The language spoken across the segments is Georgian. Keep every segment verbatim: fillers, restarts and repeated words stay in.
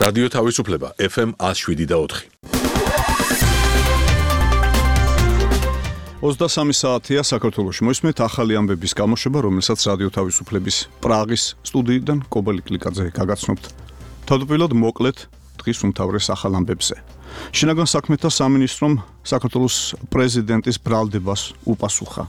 რადიო თავისუფლება ეფ ემ ათს შვიდი და ოთხი. ოცდასამი საათია საქართველოში. მოისმენთ ახალი ამბების გამოშვება, რომელსაც რადიო თავისუფლების პრაღის სტუდიიდან კობელი კლიკაძე გაგაცნობთ. თავდაპირველად მოკლედ დღის უმთავრეს ახალ ამბებზე. შინაგან საქმეთა სამინისტრომ საქართველოს პრეზიდენტის ბრალდებას უპასუხა.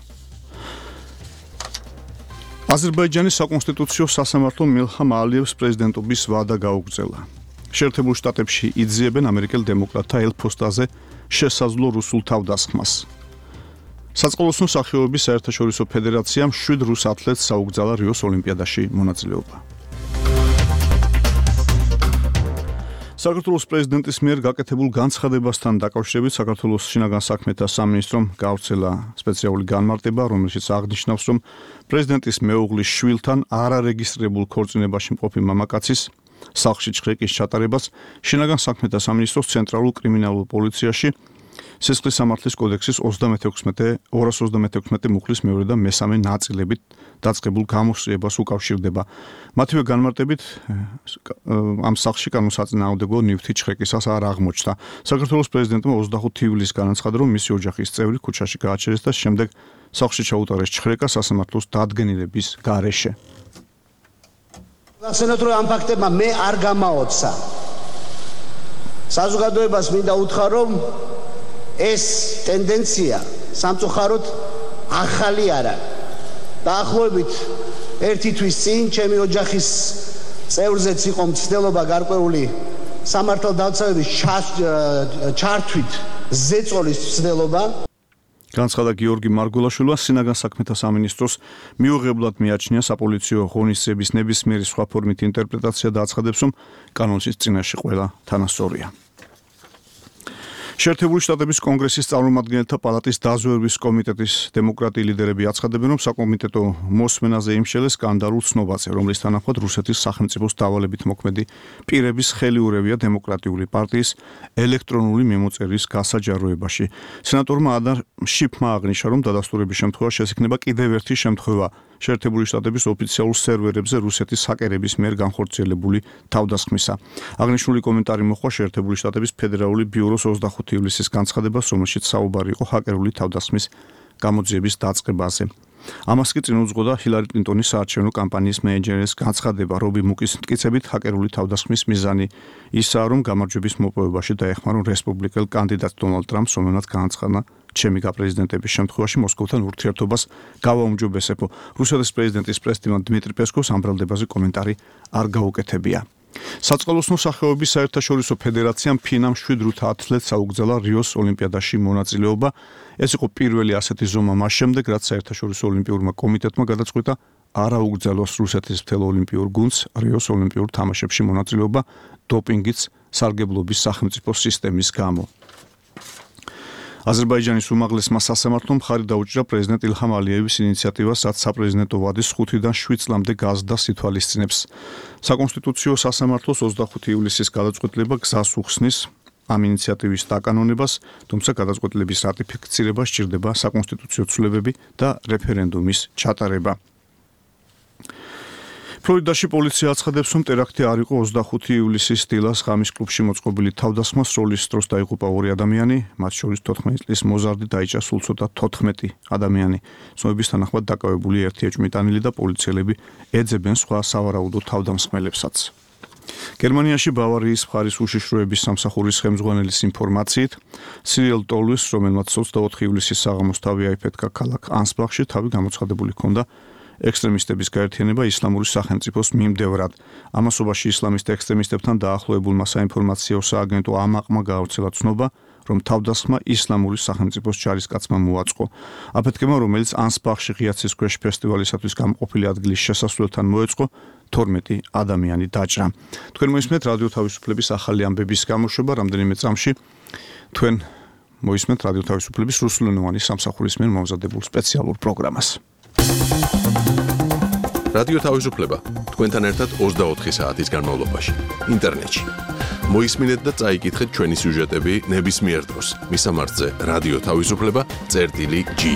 აზერბაიჯანის საკონსტიტუციო სასამართლომ მილჰამ ალიევს პრეზიდენტობის ვადა გაუგრძელა. შეერთებულ შტატებში იძიებენ ამერიკელ დემოკრატთა ელფოსტაზე შესაძლო რუსულ თავდასხმას. საწყლოსნო სახეობების საერთაშორისო ფედერაციამ შვიდ რუს ათლეტს საუგზალა რიოს ოლიმპიადაში მონაწილეობა. საქართველოს პრეზიდენტის მიერ გაკეთებულ განცხადებასთან დაკავშირებით საქართველოს შინაგან საქმეთა სამინისტრომ გავრცელა სპეციალური განმარტება, რომელშიც აღნიშნავს, რომ პრეზიდენტის მეუღლის შვილთან არარეგისტრირებულ ქორწინებაში მყოფი მამაკაცის სახლში ჩხრეკის ჩატარებას შინაგან საქმეთა სამინისტროს ცენტრალურ კრიმინალურ პოლიციაში სისხლის სამართლის კოდექსის ორას ოცდამეთექვსმეტი მუხლის მეორე და მესამე ნაწილებით დაწყებულ გამოსწრებას უკავშირდება. მათივე განმარტებით ამ სახლში კანონსაწინააღმდეგო ნივთი ჩხრეკისას არ აღმოჩნდა. საქართველოს პრეზიდენტმა ოცდახუთი ივლისს განაცხადა, რომ მისი ოჯახის წევრი ქუჩაში გააჩერეს და შემდეგ სახლში ჩაუტარეს ჩხრეკა სასამართლოს დადგენილების გარეშე. გახსენოთ, რომ ამ ფაქტებმა მე არ გამაოცა. საზოგადოებას მინდა უთხრა, რომ ეს ტენდენცია სამწუხაროდ ახალი არა. დაახლოებით ერთი თვის წინ ჩემი ოჯახის წევრზეც იყო მცდელობა გარკვეული სამართალდამცავების ჩართვით ზეწოლის მცდელობა. განცხადა გიორგი მარგულაშვილმა. შინაგან საქმეთა სამინისტროს მიუღებლად მიაჩნია საპოლიციო ღონისძიების ნებისმიერი სხვა ფორმით ინტერპრეტაცია და აცხადებს, რომ კანონის წინაშე ყველა თანასწორია. შეერთებული შტატების კონგრესის წარმომადგენელთა პალატის დაზვერვის კომიტეტის დემოკრატი ლიდერები აცხადებენ, რომ საკომიტეტო მოსმენაზე იმშელეს სკანდალურ ცნობაზე, რომლის თანახმად რუსეთის სახელმწიფოს დავალებით მოქმედი პირების ხელიურევია დემოკრატიული პარტიის ელექტრონული მიმოწერის გასაჯაროებაში. სენატორმა ადარ შიფმა აღნიშნა, რომ დადასტურების შემთხვევაში შესაძლოა კიდევ ერთი შემთხვევა შეერთებული შტატების ოფიციალურ სერვერებზე რუსეთის ჰაკერების მიერ განხორციელებული თავდასხმისა. აღნიშნული კომენტარი მოჰყვა შეერთებული შტატების ფედერალური ბიუროს ოცდახუთი ივლისის განცხადებას, რომელშიც საუბარი იყო ჰაკერული თავდასხმის გამოძიების დაწყებაზე. ამას კი წინ უძღოდა ჰილარი კლინტონის საარჩევნო კამპანიის მენეჯერის განცხადება, რობი მუკის მტკიცებით ჰაკერული თავდასხმის მიზანი ისაა, რომ გამარჯვების მოპოვებაში დაეხმარონ რესპუბლიკელ კანდიდატ დონალდ ტრამპს, რომელმაც განაცხადა ჩემი გაპრეზიდენტების შემთხვევაში მოსკოვთან ურთიერთობას გავაუმჯობესებო. რუსეთის პრეზიდენტის პრესდიმონ დმიტრი პესკოვს ამ ბრალდებაზე კომენტარი არ გაუკეთებია. საწყლოსნო სახეობების საერთაშორისო ფედერაციამ ფინამ შვიდ რუთ ათლეტს საუგზალა რიოს ოლიმპიადაში მონაწილეობა. ეს იყო პირველი ასეთი ზომა მას შემდეგ, რაც საერთაშორისო ოლიმპიურმა კომიტეტმა გადაწყვიტა არ აუგზავნოს რუსეთის მთელ ოლიმპიურ გუნდს რიოს ოლიმპიურ თამაშებში მონაწილეობა დოპინგის სარგებლობის სახელმწიფო სისტემის გამო. აზერბაიჯანის უმაღლესმა სასამართლომ მხარი დაუჭირა პრეზიდენტ ილჰამ ალიევის ინიციატივას, რაც საპრეზიდენტო ვადის ხუთიდან შვიდ წლამდე გაზრდას ითვალისწინებს. საკონსტიტუციო სასამართლოს ოცდახუთი ივლისის გადაწყვეტილება გზას უხსნის ამ ინიციატივის დაკანონებას, თუმცა გადაწყვეტილების რატიფიცირება სჭირდება საკონსტიტუციო ცვლილებები და რეფერენდუმის ჩატარება. ფლორიდაში პოლიცია აცხადებს, რომ ტერაქტი არ იყო ოცდახუთი ივლისის დილას ღამის კლუბში მოწყობილი თავდასხმა, სროლის დროს დაიღუპა ორი ადამიანი, მათ შორის თოთხმეტი წლის მოზარდი დაიჭრა სულ ცოტა თოთხმეტი ადამიანი. ცნობების თანახმად დაკავებული ერთი ეჭვმიტანილი და პოლიციელები ეძებენ სხვა სავარაუდო თავდამსხმელებსაც. გერმანიაში ბავარიის მხარის უშიშროების სამსახურის ხელმძღვანელის ინფორმაციით, სირიელ ტოლვის, რომელმაც ოცდაოთხი ივლისის საღამოს თავი აიფეთქა ქალაქ ანსბახში, თავი გამოცხადებული ჰქონდა ექსტრემისტების გაერთიანება ისლამური სახელმწიფოს მიმდევრად. ამასობაში ისლამისტ ექსტრემისტებთან დაახლოებულმა საინფორმაციო სააგენტო ამაყმა გაავრცელა ცნობა, რომ თავდასხმა ისლამური სახელმწიფოს ჯარისკაცმა მოაწყო. აფეთქება, რომელიც ანსბახში ღიაცის ქვეშ ფესტივალისათვის გამყოფილი ადგილის შესასვლელთან მოეწყო, თორმეტი ადამიანი დაჭრა. თქვენ მოისმენთ რადიო თავისუფლების ახალი ამბების გამოშვება, რამდენიმე წამში თქვენ მოისმენთ რადიო თავისუფლების რუსულენოვანი სამსახურის მიერ მომზადებულ სპეციალურ პროგრამას. რადიო თავისუფლება თქვენთან ერთად ოცდაოთხი საათის განმავლობაში ინტერნეტში. მოისმინეთ და წაიკითხეთ ჩვენი სიუჟეტები ნებისმიერ დროს. მისამართზე რადიო თავისუფლება წერტილი ჯი.